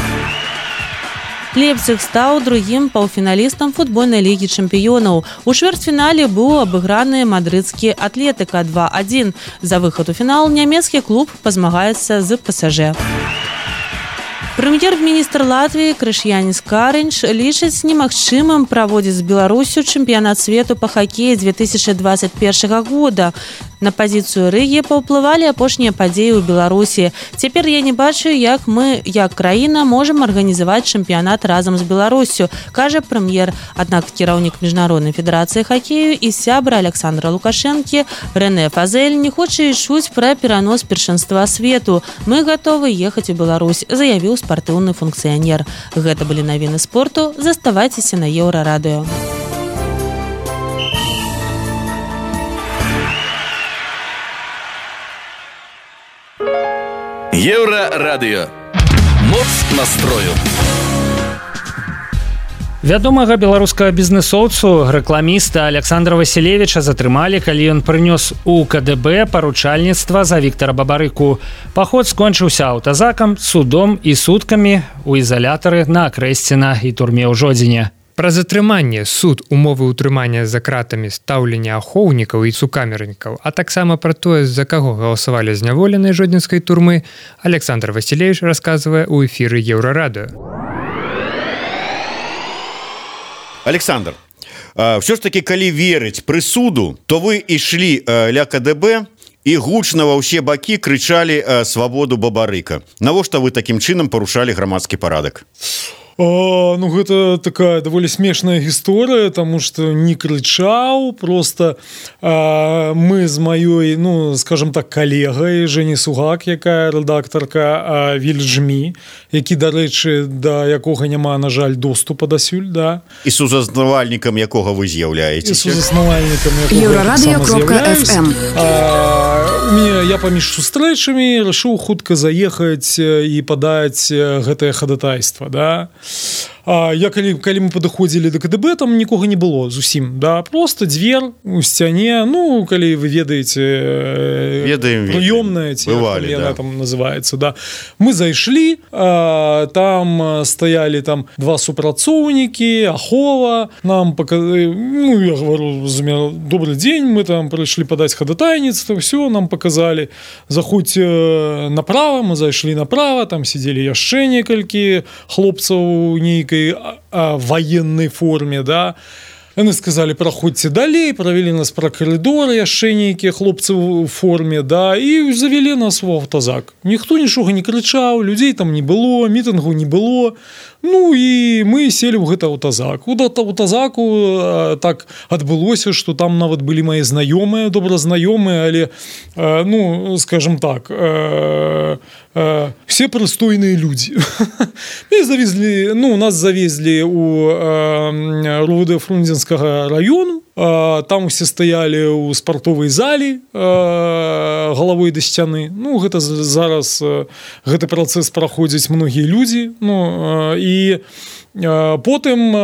Лейпциг стаў другім паўфіналістам футбольнай лігі чэмпіёнаў. У чвэрцьфінале быў абыграны мадрыдскі Атлетыка 2-1. За выхад у фінал нямецкі клуб пазмагаецца з ПСЖ. Прэм'ер-міністр Латвіі Крыш'яніс Карынч лічыць немагчымым праводзіць з Беларусю чэмпіянат свету па хакеі 2021 года. На пазіцыю Рыгі паўплывалі апошнія падзеі ў Беларусі. Цяпер я не бачу, як мы, як краіна, можам арганізаваць чэмпіянат разам з Беларусю, кажа прэм'ер. Аднак кіраўнік Міжнароднай федэрацыі хакею і сябра Александра Лукашэнкі Рэне Фазель не хоча і чуць пра перанос першынства свету. Мы гатовы ехаць у Беларусь, заявіў спартыўны функцыянер. Гэта былі навіны спорту. Заставайцеся на Еўрарадыё. Еўрарадыё. Моц настрою. Вядомага беларускага бізнэсоўцу, рэкламіста Александра Васілевіча затрымалі, калі ён прынёс у КДБ паручальніцтва за Віктара Бабарыку. Паход скончыўся аўтазакам, судом і суткамі у ізалятары на Акрэсціна і турме ў Жодзіне. Пра затрыманне, суд, умовы ўтрымання за кратамі, стаўлення ахоўнікаў і цукамернікаў, а таксама пра тое, за каго галасавалі зняволеныя жодзінскай турмы, Александр Васілевіч расказвае ў эфіры Еўрарадыё. Александр, все ж таки, калі верыць прысуду, то вы ішлі ля КДБ і гучна ва ўсе бакі крычалі свабоду Бабарыка. Навошта вы такім чынам парушалі грамадскі парадак? Ну, гэта такая даволі смешная гісторыя, таму што не крычаў, просто мы з маёй, ну, скажем так, калегай Жені Сугак, якая рэдактарка Вільджмі, які, дарэчы, да якога няма, на жаль, доступа дасюль, да. І сузаснавальнікам якога вы з'яўляецеся. І сузаснавальнікам якога сама з'яўляюсь. Я паміж сустрэчамі рашыў хутка заехаць і падаць гэтае хадатайства, да. калі мы падыходзілі да КДБ, там нікога не было зусім, да, просто дзвер у сцяне, ну, калі вы ведаеце, прыёмная, ці яна там называецца, да. Мы зайшлі, там стаялі там два супрацоўнікі, ахова, нам показали, ну, я говорю, добрый день, мы там пришли подать ходатайніцтва, все, нам показали, заходь направо, мы зайшлі направо, там сидели яшчэ некалькі хлопцаў у нейкай военной форме, да. Яны сказали, проходьте далей, провели нас про коридор, яшчэ нейкія хлопцы в форме, да, і завели нас в аўтазак. Ніхто нічога не крычаў, людзей там не было, мітынгу не было. Ну і мы сели ў гэта аўтазак. У аўтазаку так адбылося, што там нават былі мои знаёмыя, добразнаёмыя, але, ну, скажем так, все прыстойныя людзі. Мы завезли, ну, нас завезли у РУВД Фрунзенскага району, там усе стаялі ў спартовай залі галавой да сцяны. Ну, гэта зараз гэты працэс праходзяць многія людзі, ну, і потым,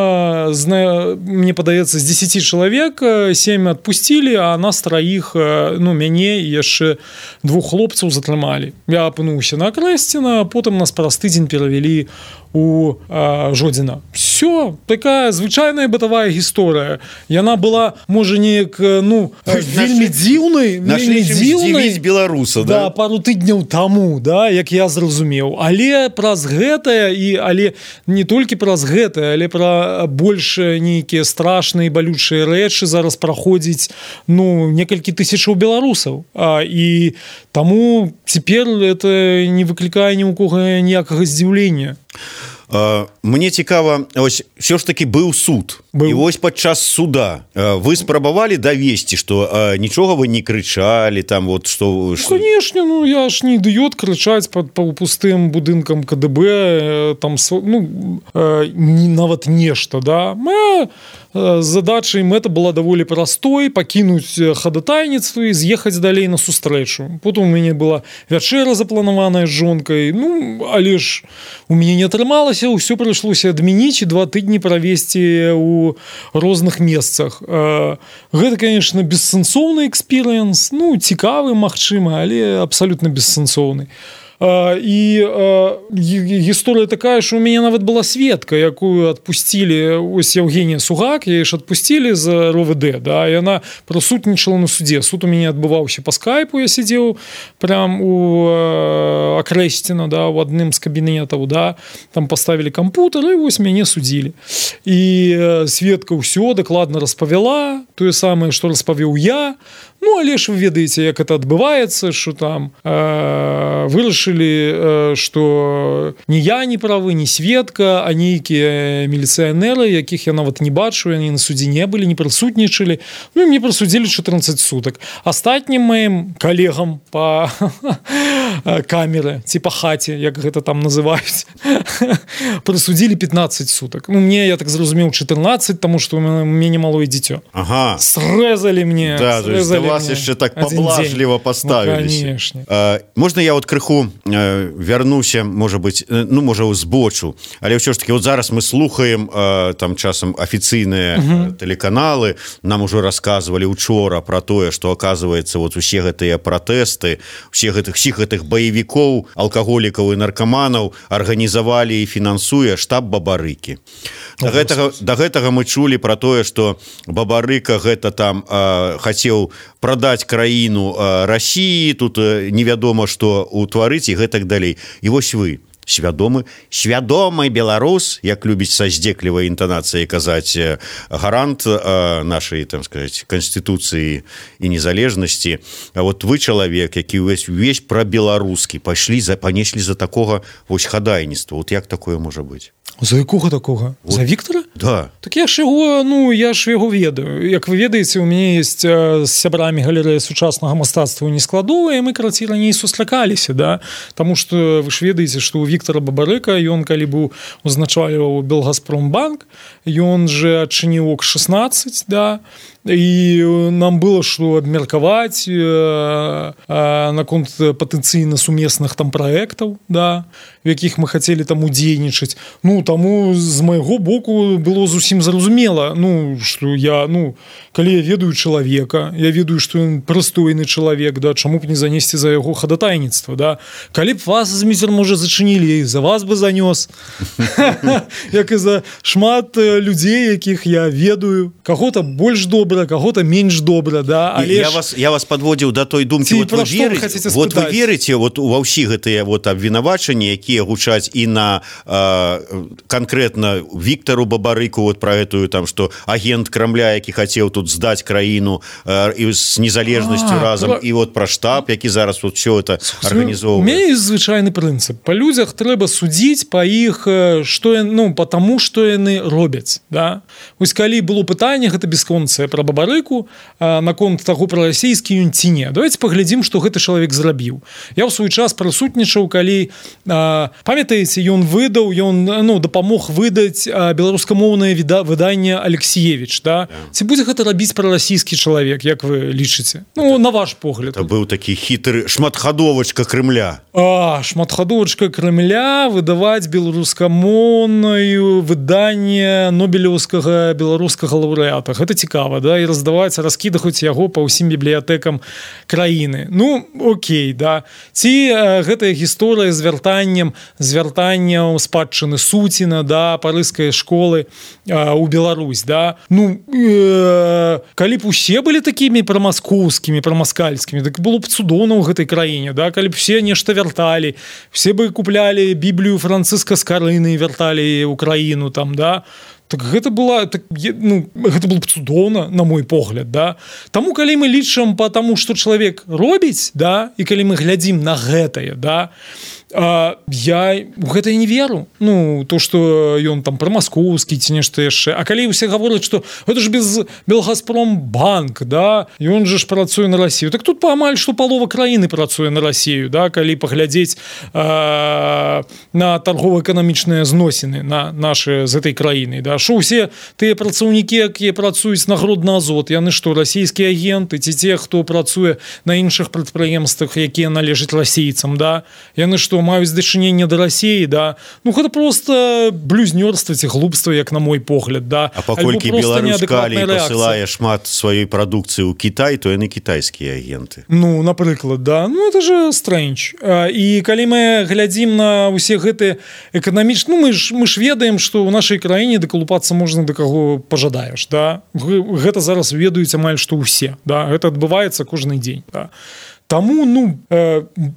мне падаецца, з 10 чалавек 7 адпусцілі, а нас траіх, ну, мяне і яшчэ 2 хлопцаў затрымалі. Я апынуўся на Акрэсціна, потым нас праз тыдзень перавялі у Жодзіна. Все, такая звычайная бытавая гісторыя. Яна была, можа, неяк, ну, вельмі дзіўнай, вельмі дзіўнай беларуса, да, пару тыдняў таму, да, як я зразумеў. Але праз гэтае, і але не толькі праз гэтае, але пра больш нейкія страшныя балючыя рэчы зараз праходзіць, ну, некалькі тысячаў беларусаў. І таму цяпер это не выклікае ні ў кога ніякага здзіўлення. Мне цікава, ось все ж таки быў суд. І вось падчас суда вы спрабавалі давесці, што нічога вы не крычалі там, вот што... Конечно, ну я ж не ідыёт крычаць па пустым будынкам КДБ, там, ну, нават нешта, да. Моя задача і мэта была даволі простой, пакінуць ходатайніцтва і з'ехаць далей на сустрэчу. Потым у мяне была вячэра запланаваная з жонкай, ну, але ж у мяне не атрымалася, ўсё прыйшлося адмяніць і 2 тыдні правесці у розных месцах. Гэта, конечно, бессэнсоўны экспірыенс, ну, цікавы, магчыма, але абсалютна бессэнсоўны. І гісторыя такая, што у мяне нават была сведка, якую адпусцілі, ось Евгения Сугак, яе ж адпусцілі з РОВД, да, і яна прысутнічала на судзе. Суд у мяне адбываўся па скайпу, я сидзеў прям у Акрэсціна, да, у адным з кабінетаў, да, там паставілі кампутер, і вось мяне судзілі. І сведка ўсё дакладна распавяла, тое самае, што распавёў я. Ну, але ж вы ведаеце, як это адбываецца, што там вырашылі, што ні я не правы, ні сведка, а нейкія міліцыянеры, якіх я нават не бачу, яны на судзе не былі, не прысутнічалі. Ну, і мне прысудзілі 14 сутак. Астатнім маім калегам па камеры, ці па хаце, як гэта там называюць, прысудзілі 15 сутак. Ну, мне, я так зразумеў, 14, таму што у мяне малое дзіцё. Ага. Срэзалі мне, да, срэзалі вас яшчэ так паблажліва паставіліся. Можна я вот крыху вярнуся, можа быть, ну, можа, збочу, але ўсё ж таки вот зараз мы слухаем там часам афіцыйныя тэлеканалы, нам ужо расказвалі учора про тое, што оказывается вот усе гэтыя пратэсты, всіх гэтых баевікоў, алкаголікаў і наркаманаў арганізавалі і фінансуе штаб Бабарыкі. Да гэтага мы чулі про тое, што Бабарыка гэта там хацеў прадаць краіну Расіі, тут невядома што ўтварыць і гэтак далей. І вось вы, свядомы беларус, як любіць са здзеклівай інтанацыяй казаць гарант нашай, там сказаць, канстытуцыі і незалежнасці. А вот вы чалавек, які увесь пра-беларускі панеслі за такога вось хадайніцтва. Вот як такое можа быць? За якога такога? Вот. За Віктора? Да. Так я ж яго, ну, я ж яго ведаю. Як вы ведаеце, у мяне ёсць з сябрамі галерэя сучаснага мастацтва нескладовая, мы, карацей, раней сустракаліся, да? Таму што вы ж ведаеце, што у Віктора Бабарыка, ён калі быў узначальваў Белгазпромбанк, ён же адчыніў ОК-16, да? І нам было што абмеркаваць наконт патэнцыйна сумесных там праектаў, да. у якіх мы хацелі там удзейнічаць. Ну таму з майго боку было зусім зразумела, ну што я, ну калі я ведаю чалавека, я ведаю, што ён прыстойны чалавек, да, чаму б не занесці за яго хадатайніцтва, да. Калі б вас, зміцер, можа, зачынілі, за вас бы занёс. Як і за шмат людзей, якіх я ведаю, каго-то больш добра, каго-то менш добра, да. Але я вас подводзіў да той думкі, вот вы верыце вот ва ўсі гэтыя вот абвінавачанні, якія гучаць і на канкрэтна Віктару Бабарыку, вот про гэтую там, што агент Крамля, які хацеў тут здаць краіну і з незалежнасцю разам, і вот пра штаб, які зараз вот все это арганізоўвае. У мяне ёсць звычайны прынцып. Па людзях трэба судзіць па іх, ну, потому што яны робяць, да. Вось калі было пытанне, гэта бесконцае пра Бабарыку, наконт таго, пра расійскі ён ці не. Давайте паглядзім, што гэты чалавек зрабіў. Я ў свой час прысутнічаў, калі, памятаеце, ён выдаў, ён, ну, дапамог выдаць беларускамоўнае выданне Алексіевіч, да. Ці будзе гэта рабіць прарасійскі чалавек, як вы лічыце? Ну, на ваш погляд. Это быў такі хітры шматхадовачка Крымля. Шматхадовачка Крымля выдаваць беларускамоўнае выданне нобелеўскага беларускага лаўрэата. Гэта цікава, да, і раздаваць, раскідахаць яго па ўсім бібліятэкам краіны. Ну, окей, да. Ці гэтая гісторыя з вяртаннем спадчыны Суціна, да, парыжскай школы у Беларусь, да. Ну, калі б усе былі такімі прамаскоўскімі, прамаскальскімі, так было б цудоўна ў гэтай краіне, да, калі б все нешта вярталі, все бы куплялі Біблію Францыска Скарыны і вярталі ў краіну там, да. Так гэта было, так, ну, гэта было б цудоўна, на мой погляд, да. Таму, калі мы лічым па таму, што чалавек робіць, да, і калі мы глядзім на гэтае, да, я у гэта не веру. Ну, то, што ён там прамаскоўскі ці нешта яшчэ. А калі ўсе гавораць, што гэта ж без Белгазпромбанк, да, ён же ж працуе на Расію. Так тут амаль што палова краіны працуе на Расію, да, калі паглядзець на торгово-эканамічныя зносіны на нашы з этой краіны, да. Што ўсе тыя працаўнікі, якія працуюць на Гродна-Азот, яны што, расійскія агенты ці те, хто працуе на іншых прадпрыемствах, якія належаць расейцам, да, яны што, маюць дачыненне да Расіі, да. Ну, гэта просто блюзнёрства ці глупства, як на мой погляд, да. А паколькі Беларусь калій пасылае шмат сваёй прадукцыі ў Кітай, то яны кітайскія агенты. Ну, напрыклад, да. Ну, это же стрэндж. І калі мы глядзім на ўсе гэтыя эканамічныя, ну, мы ж ведаем, што ў нашай краіне дакалупацца можна да каго пажадаеш, да. Гэта зараз ведаюць амаль што ўсе, да. Гэта адбываецца кожны дзень, да. Таму, ну,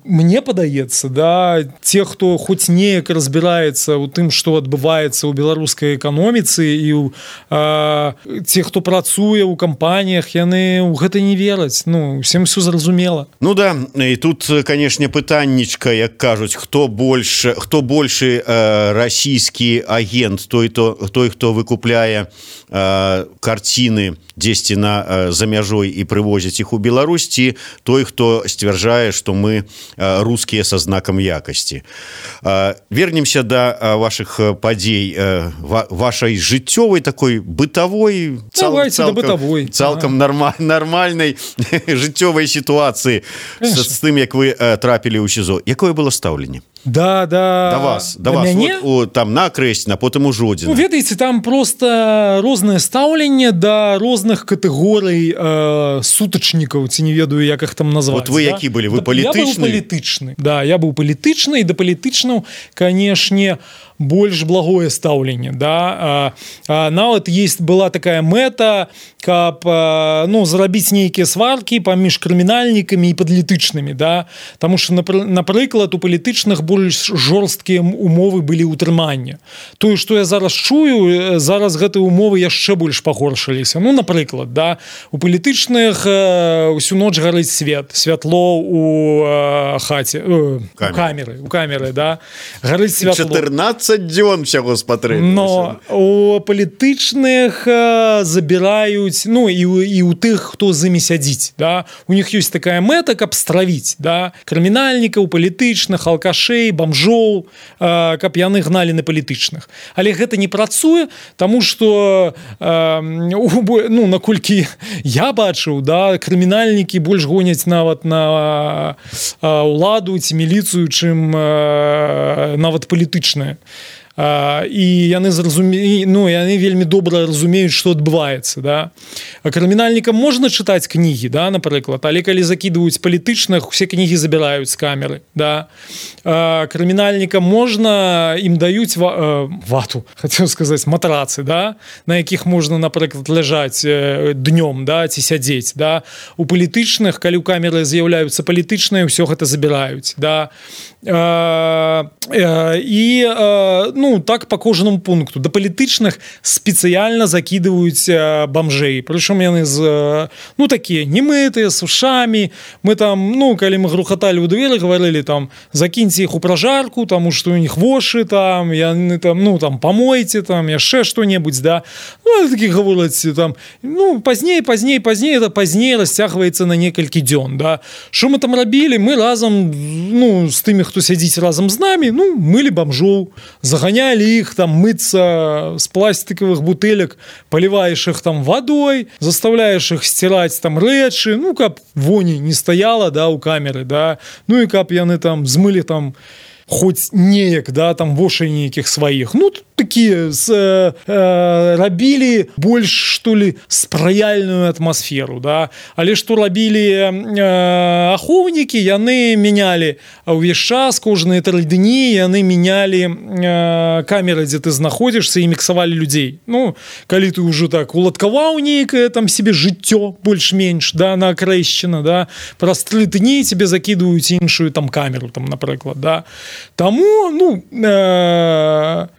мне падаецца, да, те, хто хоць неяк разбіраецца ў тым, што адбываецца ў беларускай эканоміцы і те, хто працуе ў кампаніях, яны ў гэта не вераць. Ну, усім все зразумела. Ну да, і тут, канешне, пытаннічка, як кажуць, хто большы расійскі агент, той, хто выкупляе карціны дзесьці за мяжой і прывозіць іх у Беларусь, ці той, хто сцвярджае, што мы рускія са знакам якасці. Вернемся да вашых падзей, вашай жыццёвай такой бытавой, цалкам нармальнай жыццёвай сітуацыі з тым, як вы трапілі ў СІЗО. Якое было стаўленне? Да вас вот, там на Крэсціна, потым у Жодзіна. Ну, ведаеце, там просто рознае стаўленне да розных катэгорый сутачнікаў, ці не ведаю, як іх там назваць. Вот вы які былі? Вы палітычны? Я быў палітычны. Да, я быў палітычны, і да палітычнаў, канешне, больш благое стаўленне, да. Нават была такая мэта, каб, ну, зрабіць нейкія сваркі паміж крымінальнікамі і падлітычнымі, да. Таму што, напрыклад, у палітычных больш жорсткія умовы былі ўтрымання. Тое, што я зараз чую, зараз гэтыя умовы яшчэ больш пагоршыліся. Ну, напрыклад, да, у палітычных усю ноч гарыць святло у хаце, у камеры, да. Гарыць святло. 14 20 дзён всяго спатрэбілася. Но у палітычных забіраюць, ну і у тых, хто з імі сядзіць, да? У них ёсць такая мэта, каб стравіць, да? Крымінальнікаў, палітычных, алкашэй, бомжоў, каб яны гналі на палітычных. Але гэта не працуе, таму што ну, наколькі я бачыў, да, крымінальнікі больш гоняць нават на ўладу ці міліцыю, чым нават палітычная. І яны яны вельмі добра разумеюць, што адбываецца, да? Крымінальнікам можна чытаць кнігі, да, напрыклад, але калі закідваюць палітычных, усе кнігі забіраюць з камеры, да? Крымінальнікам можна, ім даюць вату, хацеў сказаць, матрацы, да? На якіх можна, напрыклад, ляжаць днём, да, ці сядзець, да? У палітычных, калі ў камеры з'яўляюцца палітычныя, ўсё гэта забіраюць, да? І ну, так по кожнаму пункту. Да палітычных спецыяльна закідваюць бомжэй. Прычым яны ну, такія немытыя, з ушамі. Мы там, ну, калі мы грухаталі ў двері, гаварылі там, закіньце іх у пражарку, таму што у них вошы там, яны там, ну, там, памойце там, яшчэ што-небудзь, да. Ну, такі гавораць там, ну, пазней, это пазней расцягваецца на некалькі дзён, да. Што мы там рабілі? Мы разам, ну, з тымі, хто сядзіць разам з намі, ну, мылі бомжоў, загонялі іх там мыцца з пластиковых бутылек, поливаешь их там водой, заставляешь их стирать там рэчы, ну, каб вони не стаяла, да, у камеры, да, ну, і каб яны там змылі там хоць неяк, да, там вошай нейкіх сваіх. Ну, такія рабілі больш, што ли, спрыяльную атмасферу, да. Але што рабілі ахоўнікі, яны менялі ўвесь час, кожныя 3 дні яны менялі камеры, дзе ты знаходзішся, і міксавалі людзей. Ну, калі ты ўжо так уладкаваў нейкае там себе жыццё больш-менш, да, на акрэсчына, да, праз 3 дні тебе закідваюць іншую там камеру, там, напрыклад, да. Таму, ну,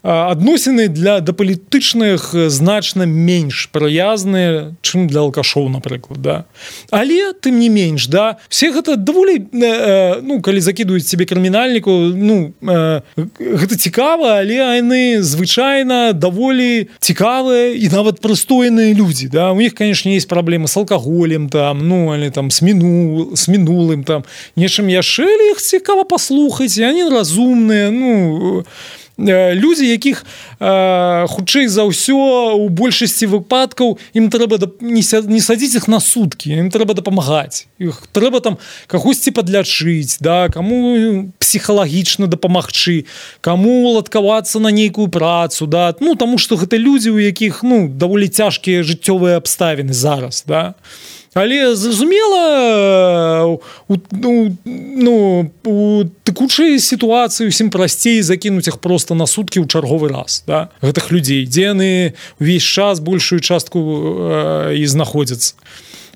адносіны да палітычных значна менш прыязныя, чым для алкашоў, напрыклад, да. Але, тым не менш, да, все гэта даволі, ну, калі закідваюць тебе крымінальніку, ну, гэта цікава, але яны звычайна даволі цікавыя і нават прыстойныя людзі, да. У них, конечно, есть праблемы з алкаголем, там, ну, але там з мінулым, там, нечым яшчэ, але іх цікава паслухаць, і яны разумныя, ну, людзі, якіх хутчэй за ўсё у большасці выпадкаў ім трэба не садзіць іх на суткі, ім трэба дапамагаць, іх трэба там кагосьці падлячыць, да, каму псіхалагічна дапамагчы, каму уладкавацца на нейкую працу, да, ну, таму што гэта людзі, у якіх, ну, даволі цяжкія жыццёвыя абставіны зараз, да. Але, зразумела, у текучай сітуацыі усім прасцей закінуць іх проста на суткі ў чарговы раз, да, гэтых людзей, дзе яны ўвесь час большую частку і знаходзяцца.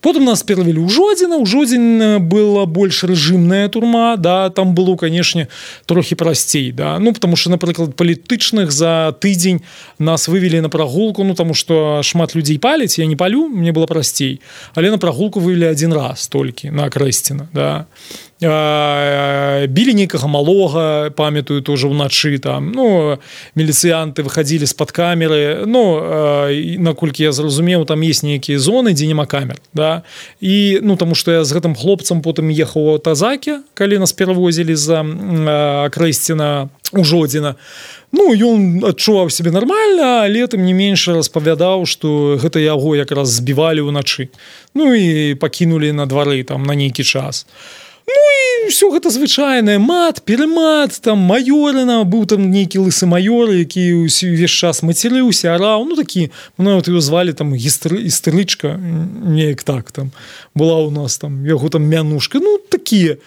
Потым нас перавялі ў Жодзіна. У Жодзін была больш рэжымная турма, да, там было, канешне, трохі прасцей, да, ну, потому что, напрыклад, палітычных за тыдзень нас вывели на прагулку, ну, потому что шмат людзей паляць, я не палю, мне было прасцей, але на прагулку вывели 1 раз толькі на Акрэсціна, да. Білі нейкага малога, памятаю, тоже ўначы там, ну, міліцыянты выходили з-пад камеры, ну, наколькі я зразумеў, там есть нейкія зоны, дзе няма камер, да, і, ну, таму што я з гэтым хлопцам потым ехаў у Тазаке, калі нас перавозілі за Акрэсціна у Жодзіна. Ну, ён адчуваў сябе нармальна, але тым не менш распавядаў, што гэта яго якраз збівалі ўначы, ну, і пакінулі на двары там на нейкі час. Ну, і ўсё гэта звычайнае, мат, перемат, там, маёрына, быў там нейкі лысы маёр, які ўвесь час мацерыўся, араў, ну, такі, нават его звалі там істэрычка, неяк так, там, была ў нас там, яго там мянушка, ну, такія,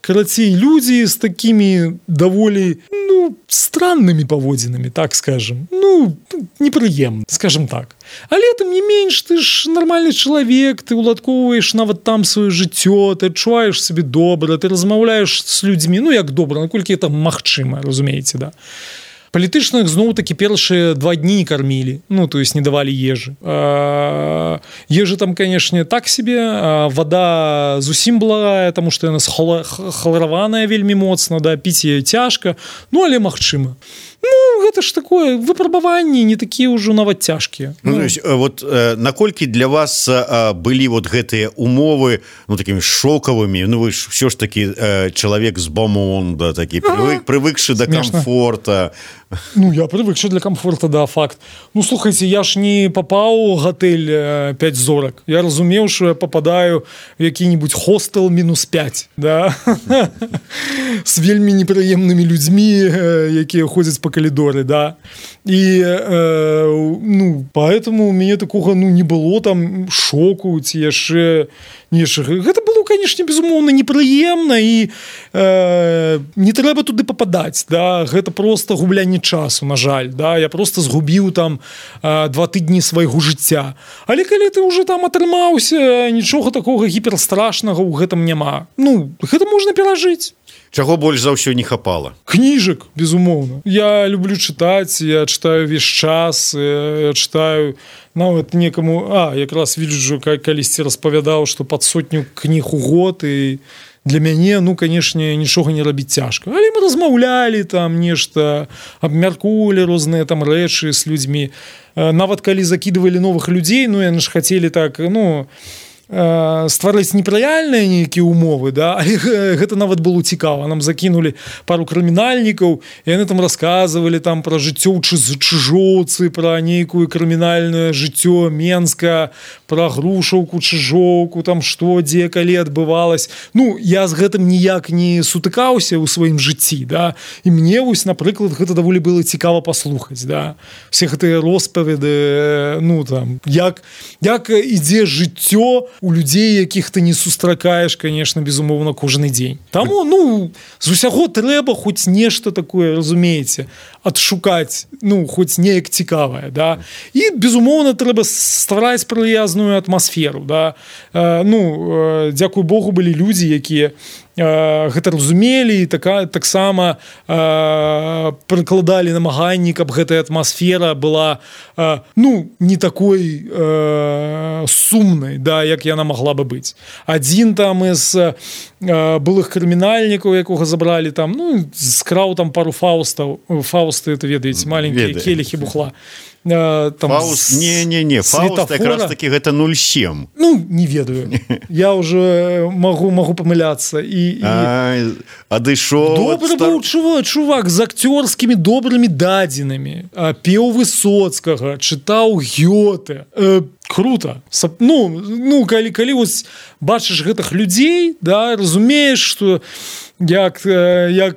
карацей, людзі з такімі даволі, ну, страннымі паводзінамі, так скажем, ну, непрыемна, скажем так. Але тым не менш, ты ж нармальны чалавек, ты уладкоўваеш нават там сваё жыццё, ты адчуваеш сабе добра, ты размаўляеш з людзьмі, ну, як добра, наколькі это магчыма, разумееце, да. Палітычных зноў-такі першыя 2 дні кармілі, ну, то есть не давалі ежы. Ежы там, канешне, так себе, вода зусім благая, таму што яна хлараваная вельмі моцна, да, піць яе цяжка, ну, але магчыма. Ну, гэта ж такое, выпрабаванні не такія ўжо нават цяжкія. Ну, вот наколькі для вас былі вот гэтыя умовы, ну, такімі шокавымі, ну, вы ж все ж таки чалавек з бомонда, такі прывыкшы да камфорта. Ну, я прывыкшы для камфорта, да, факт. Ну, слухайце, я ж не папаў у гатэль 5 зорак. Я разумеў, што я попадаю в які-нибудь хостел -5, да? С вельмі непрыемнымі людзьмі, якія ходзяць по калідоры, да? І, ну, поэтому у мяне такога, ну, не было там шоку, ці яшчэ нешта. Гэта было, конечно, безумоўна, непрыемна, і не трэба туды попадаць, да? Гэта просто гублянне часу, на жаль, да? Я просто згубіў там 2 тыдні свайго жыцця. Але калі ты уже там атрымаўся, нічога такога гіперстрашнага ў гэтым няма. Ну, гэта можна перажыць. Чаго больш за ўсё не хапала? Кніжак, безумоўна. Я люблю чытаць, я чытаю весь час, я чытаю нават некаму, якраз віджу, калісьці распавядаў, што пад 100 кніг у год, і для мяне, ну, канешне, нічога не рабіць цяжка. Але мы размаўлялі там нешта, абмяркоўвалі розныя там рэчы з людзьмі. Нават калі закідывалі новых людзей, ну, яны ж хацелі так, ну, стварыць непрэальныя нейкія умовы, да? Але гэта нават было цікава. Нам закінулі пару крымінальнікаў, і яны там расказвалі там пра жыццё ў Чыжоўцы, пра нейкую крымінальнае жыццё Менска, пра Грушаўку, Чыжоўку, там што, дзе, калі адбывалась. Ну, я з гэтым ніяк не сутыкаўся ў сваім жыцці, да? І мне, вось, напрыклад, гэта даволі было цікава паслухаць, да? Все гэтыя роспаведы, ну, там, як ідзе жыццё у людзей, якіх ты не сустракаеш, конечно, безумоўна, кожны дзень. Таму, ну, з усяго трэба хоць нешта такое, разумееце, адшукаць, ну, хоць неяк цікавае, да? І, безумоўна, трэба ствараць прыязную атмасферу, да? Ну, дзякуй Богу, былі людзі, якія гэта разумелі, і таксама прыкладалі намаганні, каб гэтая атмасфера была, ну, не такой сумнай, да, як яна могла бы быць. Адзін там з былых крымінальнікаў, якога забралі там, ну, скраў там пару фаустаў. Фаусты, это ведаеце, маленькія келихі бухла. Фауст, не, Фауст якраз таки гэта 0,7. Ну, не ведаю. Я уже могу памыляцца. Адышоў. Добры быў чувак з акцёрскімі добрымі дадзенымі. Пеў Высоцкага, чытаў Гёте. Круто. Ну, калі вось бачыш гэтых людзей, да, разумееш, што як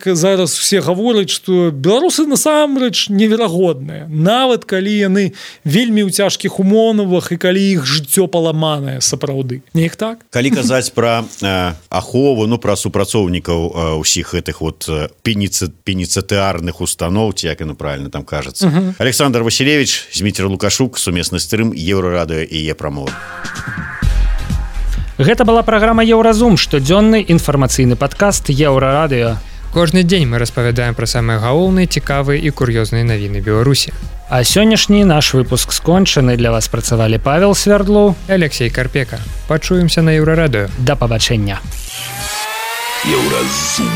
зараз усе гавораць, што беларусы насамрэч неверагодныя. Нават калі яны вельмі ў цяжкіх умовах і калі іх жыццё паламанае сапраўды. Не іх так? Калі казаць пра ахову, ну, пра супрацоўнікаў усіх гэтых вот пеніцытыарных устаноў, ці як яно правильно там кажацца. Александр Василевич, Зміцер Лукашук, сумесны стрым, Еўрарадыё і Е-прамова. Гэта была праграма Еўразум, штодзённы інфармацыйны падкаст Еўрарадыё. Кожны дзень мы распавядаем пра самыя галоўныя, цікавыя і кур'ёзныя навіны Беларусі. А сённяшні наш выпуск скончаны. Для вас працавалі Павел Свердлу і Алексей Карпека. Пачуемся на Еўрарадыё. Да пабачэння. Еўразум.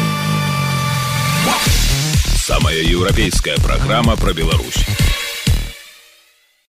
Самая еўрапейская праграма пра Беларусь.